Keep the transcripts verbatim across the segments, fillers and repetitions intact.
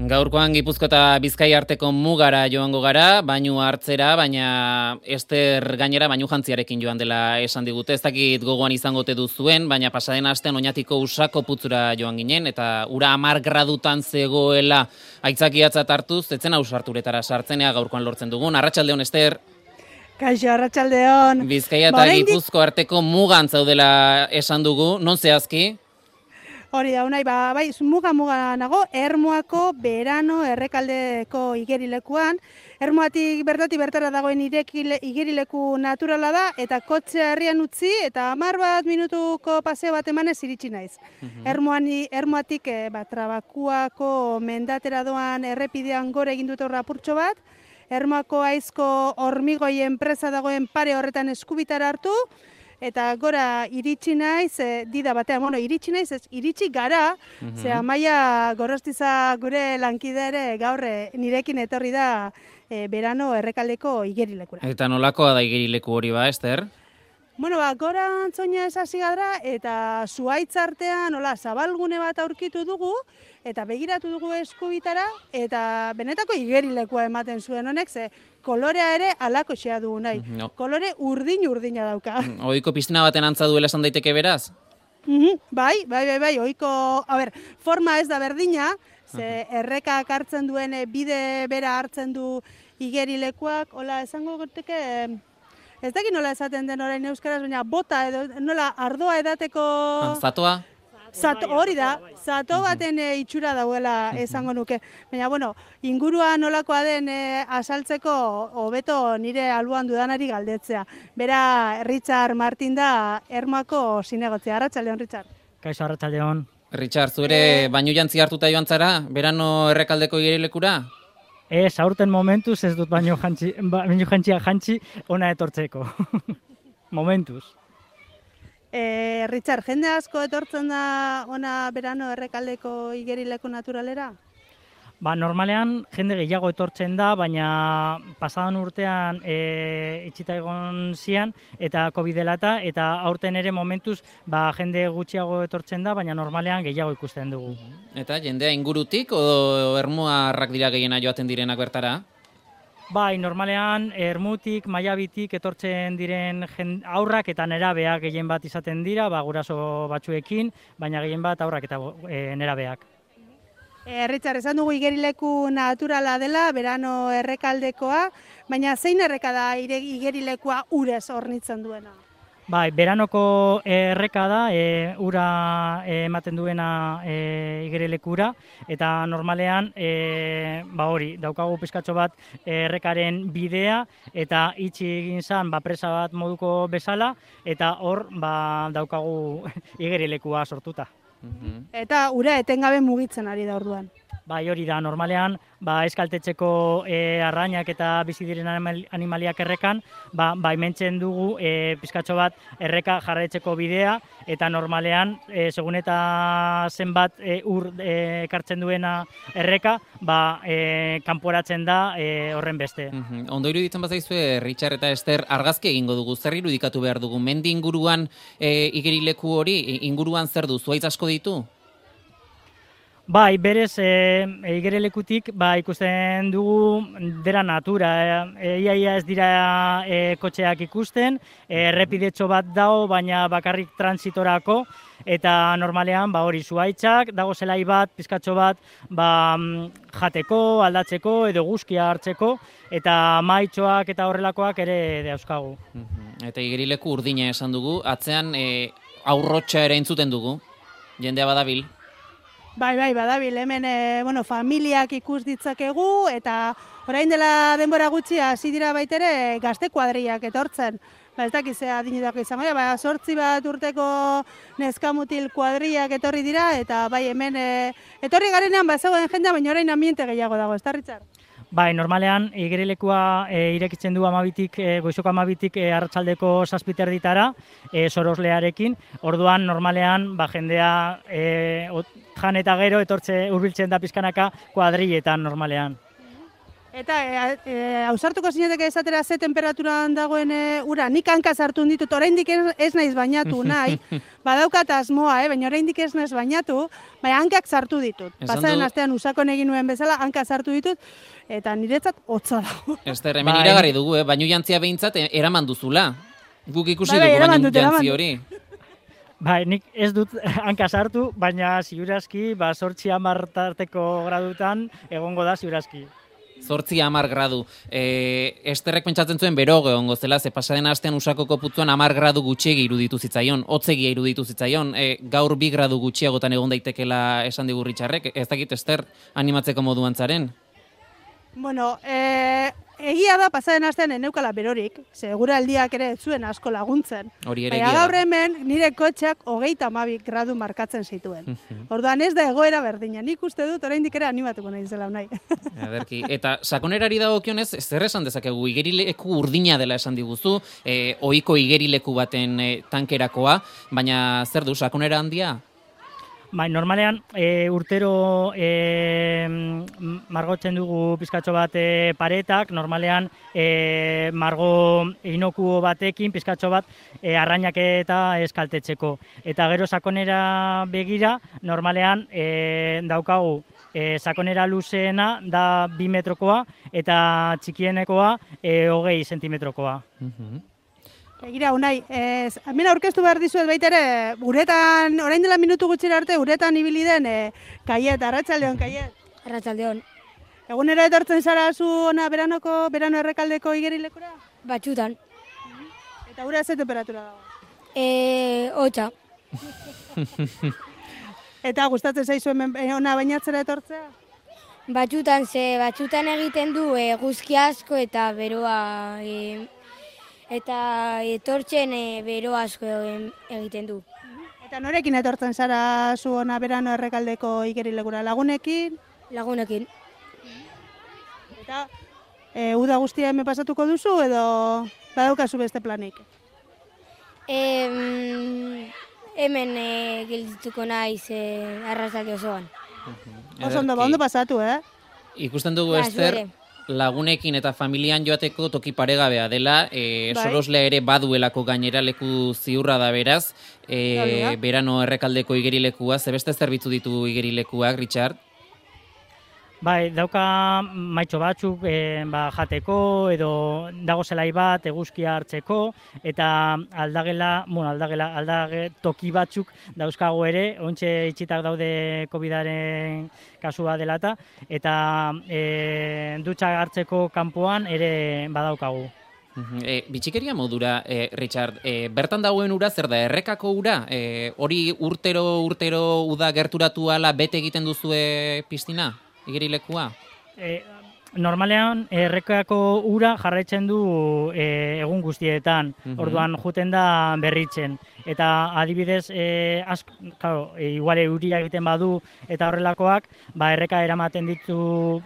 Gaurkoan Gipuzko eta Bizkai arteko mugara joango gara, bainu hartzera, baina Ester gainera bainu jantziarekin joan dela esan digute. Ez dakit gogoan izango ote duzuen, baina pasaden astean Oñatiko Usako putzura joan ginen, eta ura hamar gradutan zegoela aitzakiatzat hartuz, etzen ausarturetara sartzenea gaurkoan lortzen dugun. Arratsaldeon, Ester. Kaixo, arratsaldeon. Bizkaia eta Gipuzko arteko mugan zaudela esan dugu, non zehazki? Hori da, unai, ba, bai, muga-muga nago, Ermuako Berano errekaldeko igerilekuan. Ermuatik bertatik bertara dagoen irekile, igerileku naturala da, eta kotxea herrian utzi, eta hamar bat minutuko paseo bat emanez iritsi naiz. Uh-huh. Ermuan, Ermuatik e, ba, Trabakuako mendatera doan errepidean gore egin dut horra apurtxo bat, Ermuako aizko hormigoi enpresa dagoen pare horretan eskubitara hartu, eta gora iritsi naiz, e, dida batean, bueno, iritsi naiz, ez, iritsi gara, mm-hmm. ze Amaia Gorostiza gure lankide ere gaur nirekin etorri da e, Berano errekaldeko igerilekura. Eta nolakoa da igerileku hori ba, Ester? Bueno, ba, gora antzoina esasi gara, eta zuhaitz artean, hola, zabalgune bat aurkitu dugu, eta begiratu dugu eskubitara, eta benetako igerilekua ematen zuen honek, ze kolorea ere alako xea dugu nahi. No. Kolore urdin-urdina dauka. Ohiko piztina baten antza duela esan daiteke beraz? Mm-hmm. Bai, bai, bai, bai, ohiko, a ber, forma ez da berdina, ze errekak hartzen duen bide bera hartzen du igerilekuak, hola, esango gerteke, ez dakit nola esaten den orain euskaraz, baina bota edo nola ardoa edateko... Zatoa? Zato, hori da, zato baten e, itxura dauela esango nuke. Baina, bueno, ingurua nolakoa den e, asaltzeko hobeto nire alboan dudanari galdetzea. Bera, Richard Martin da Ermuako zinegotzea. Arratsaldeon, Richard. Kaixo, arratsaldeon. Richard, zu ere e... bainu jantzi hartuta joan zara, Berano errekaldeko igerilekura? Ez, aurten momentuz ez dut baino jantzi, baino jantzia jantzi ona etortzeko. Momentuz. E, Richard, jende asko etortzen da ona Berano errekaldeko igerileku naturalera? Ba, normalean jende gehiago etortzen da, baina pasadan urtean e, itxita egon zian eta COVID dela eta, eta aurten ere momentuz ba, jende gutxiago etortzen da, baina normalean gehiago ikusten dugu. Eta jendea ingurutik o ermuarrak dira gehiena joaten direnak bertara? Bai, normalean Ermutik, Maiabitik etortzen diren aurrak eta nerabeak gehien bat izaten dira, ba, guraso batzuekin, baina gehien bat aurrak eta e, nerabeak. E, Richard, esan dugu igerileku naturala dela, Berano errekaldekoa, baina zein erreka da igerilekua urez hornitzen duena? Bai, Beranoko erreka da, e, ura e, ematen duena e, igerilekura, eta normalean, e, ba hori, daukagu pizkatxo bat errekaren bidea, eta itxi egin zan, ba, presa bat moduko bezala, eta hor, ba, daukagu igerilekua sortuta. Eta ura etengabe mugitzen ari da orduan. Bai, hori da, normalean, ba, eskaltetzeko e, arrainak eta bizi diren animaliak errekan, ba, baimentzen dugu e, pizkatxo bat erreka jarraitzeko bidea, eta normalean, e, segun eta zenbat e, ur e, ekartzen duena erreka, ba, e, kanporatzen da e, horren beste. Uh-huh. Ondo iruditzen bazaizue, Richard eta Ester, argazki egingo dugu, zer irudikatu behar dugu? Mendi inguruan e, igerileku hori, inguruan zer du, zuhaitz asko ditu? Bai, berez, e, igerilekutik ba, ikusten dugu dera natura. E, ia, ia ez dira e, kotxeak ikusten, errepidetxo bat dago, baina bakarrik transitorako, eta normalean ba, hori zuhaitzak, dago zelai bat, pizkatxo bat, ba, jateko, aldatzeko, edo guzkia hartzeko, eta maitxoak eta horrelakoak ere dauzkagu. Eta igerileku urdina esan dugu, atzean e, aurrotxa ere entzuten dugu, jendea badabil. Bai, bai, badabil, hemen e, bueno, familiak ikus ditzakegu, eta orain dela denbora gutxi hasi dira baitere gazte kuadriak etortzen. Ba, ez dakizea adinetako izango, ba, sortzi bat urteko neskamutil kuadriak etorri dira, eta bai, hemen e, etorri garenean bazegoen jendea, baina orain ambiente gehiago dago, ez da, Richard? Bai, normalean igerilekua e, irekitzen du amabitik, e, goizoko amabitik e, arratsaldeko zazpiter ditara, e, soroslearekin. Orduan, normalean, ba, jendea e, ot, jan eta gero etortze hurbiltzen da pizkanaka kuadrilletan normalean. Eta ausartuko zineteke esatera ze temperaturan dagoen e, ura, nik hanka sartu ditut, oraindik ez, ez naiz bainatu nahi, badaukat asmoa, eh, baina oraindik ez naiz bainatu, baina hankak sartu ditut. Pasaren astean usakon egin nuen bezala, hanka sartu ditut, eta niretzat hotza dago. Ester, hemen iragarri dugu, eh? Bainu jantzia behintzat eraman duzula. Guk ikusi dugu bainu jantzi hori. Bai, nik ez dut hanka sartu, baina ziurazki, ba, sortzi hamar tarteko gradutan egongo da ziurazki. Zortzi hamar gradu. E, Esterrek pentsatzen zuen bero egongo zela, ze pasaden astean Usakoko putzuan hamar gradu gutxiegi iruditu zitzaion, hotzegia iruditu zitzaion, e, gaur bi gradu gutxiagotan egon daitekela esan digu Richardrek. Ez dakit, Ester, animatzeko moduan zaren? Bueno, e, egia da pasaden astean eneukala berorik, segura aldiak ere ez zuen asko laguntzen. Hori ere Baina gaur hemen nire kotxeak hogeita hamabi gradu markatzen zituen. Orduan ez da egoera berdina, nik uste dut oraindik ere animatuko nahi zela nahi. Aderki. Eta sakonerari dagokionez, zer esan dezakegu, igerileku urdina dela esan diguzu, e, ohiko igerileku baten e, tankerakoa, baina zer du, sakonera handia? Bai, normalean e, urtero e, margotzen dugu pizkatxo bat e, paretak, normalean e, margo inokuo batekin pizkatxo bat e, arrainak eta eskaltetzeko. Eta gero sakonera begira, normalean e, daukagu e, sakonera luzeena da bi metrokoa eta txikienekoa e, hogei sentimetrokoa. Uh-huh. Egira, Unai, ez, hemen aurkeztu behar dizuet baita ere, uretan, orain dela minutu gutxira arte, uretan ibili den, e, Kaiet, Arratsaldeon, Kaiet. Arratsaldeon. Egunero etortzen zara zu ona beranoko, berano errekaldeko igerilekura? Batzutan. Eta ura ze temperatura dago? E, hotza. Eta gustatzen zaizu hemen ona bainatzera etortzea? Batzutan, ze batzutan egiten du eguzki asko eta beroa... E, eta etortzen e, bero asko egiten du. Eta norekin etortzen zara zu ona berano errekaldeko igerilekura? Lagunekin? Lagunekin. Eta e, uda guztia hemen pasatuko duzu edo badaukazu beste planik? E, hemen e, geldituko naiz e, arratsalde osoan. Oso ondo, ondo pasatu, eh? Ikusten dugu, Ester, lagunekin eta familian joateko toki paregabea dela, e, bai. Soroslea ere baduelako gainera leku ziurra da beraz, e, berano errekaldeko igerilekua, zebeste zerbitzu ditu igerilekuak, Richard? Bai, dauka maitxo batzuk e, ba, jateko edo dago zelai bat eguzkia hartzeko eta aldagela, bueno, aldagela, aldage toki batzuk dauzkago ere, ontxe itxitak daude covidaren kasua delata eta e, dutxa hartzeko kanpoan ere badaukagu. E, bitxikeria modura, e, Richard, e, bertan dagoen ura zer da, errekako ura? E, hori urtero, urtero uda gerturatu ala bete egiten duzue piztina? Igerilekua? E, normalean, errekako ura jarraitzen du e, egun guztietan, uh-huh. Orduan juten da berritzen. Eta adibidez, e, ask, claro, e, iguale euria egiten badu eta horrelakoak, ba, erreka eramaten ditu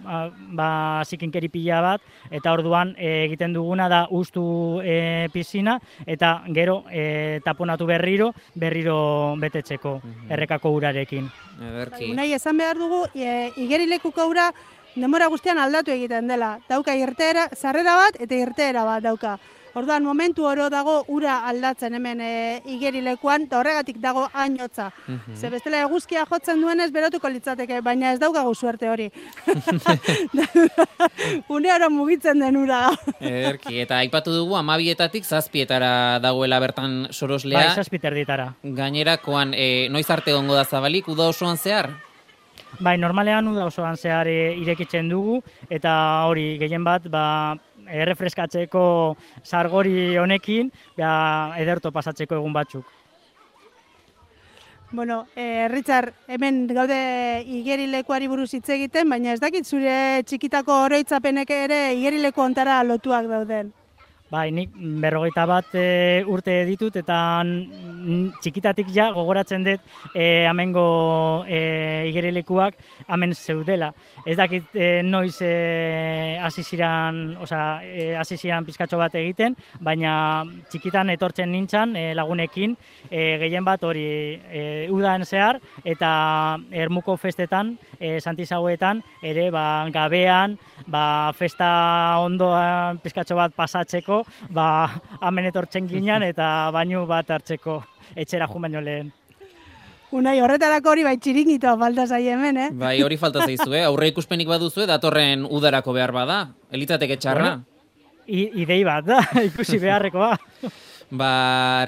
ba, zikinkeri pila bat, eta orduan e, egiten duguna da ustu e, pizina, eta gero e, taponatu berriro, berriro betetzeko uh-huh. errekako urarekin. Ederki. Unai, esan behar dugu, e, igerilekuko ura denbora guztian aldatu egiten dela. Dauka irteera, sarrera bat eta irteera bat dauka. Orduan, momentu oro dago ura aldatzen hemen e, igerilekuan, eta horregatik dago hain hotza. Uh-huh. Ze bestela eguzkia jotzen duenez berotuko litzateke, baina ez daukagu suerte hori. Une oro mugitzen den ura. Ederki, eta aipatu dugu hamabietatik zazpietara dagoela bertan Soroslea. Bai, zazpiterditara. Gainerakoan, e, noiz arte egongo da zabalik, uda osoan zehar? Bai, normalean uda osoan zehar e, irekitzen dugu, eta hori gehien bat, ba, errefreskatzeko sargori honekin, ja, ederto pasatzeko egun batzuk. Bueno, eh, Richard, hemen gaude igerilekuari buruz hitz egiten, baina ez dakit zure txikitako oroitzapenek ere igerileku ontara lotuak dauden. Bai, nik berrogeita bat e, urte ditut eta n- txikitatik ja gogoratzen dut e, amengo e, igerilekuak hemen zeudela. Ez dakit e, noiz e, hasi ziran, osea, e, hasi ziran pizkatxo bat egiten, baina txikitan etortzen nintzan e, lagunekin e, gehien bat hori e, udan zehar eta Ermuko festetan, e, Santisagoetan ere ba, gabean, ba, festa ondoan pizkatxo bat pasatzeko, ba, hemen etortzen ginen eta bainu bat hartzeko etxera jun baino lehen. Unai, horretarako hori bai txiringitoa falta zai hemen, eh? Bai, hori falta zaizu, eh? Aurre ikuspenik baduzue, datorren udarako behar bada. Elitzateke txarra. Bueno, i, idei bat da, ikusi beharrekoa. Ba,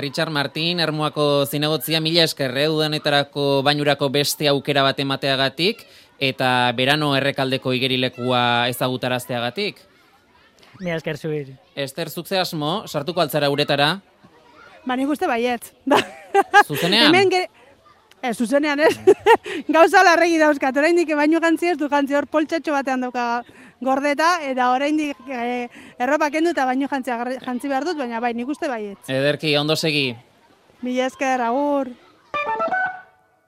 Richard Martin, Ermuako zinegotzia, mila eskerre, udanetarako bainurako beste aukera bat emateagatik, eta berano errekaldeko igerilekua ezagutarazteagatik. Mila esker zuir. Ester, zukze asmo, sartuko altzara uretara, Ba, nik uste baietz. zuzenean? Hemen ge... Ez, zuzenean ez. Gauza larregi dauzkat, oraindik baino jantzi ez du jantzi hor poltsatxo batean dauka gordeta, eta oraindik e, erropa kendu eta baino jantzi, jantzi behar dut, baina bai, nik uste baietz. Ederki, ondo segi. Mila esker, agur.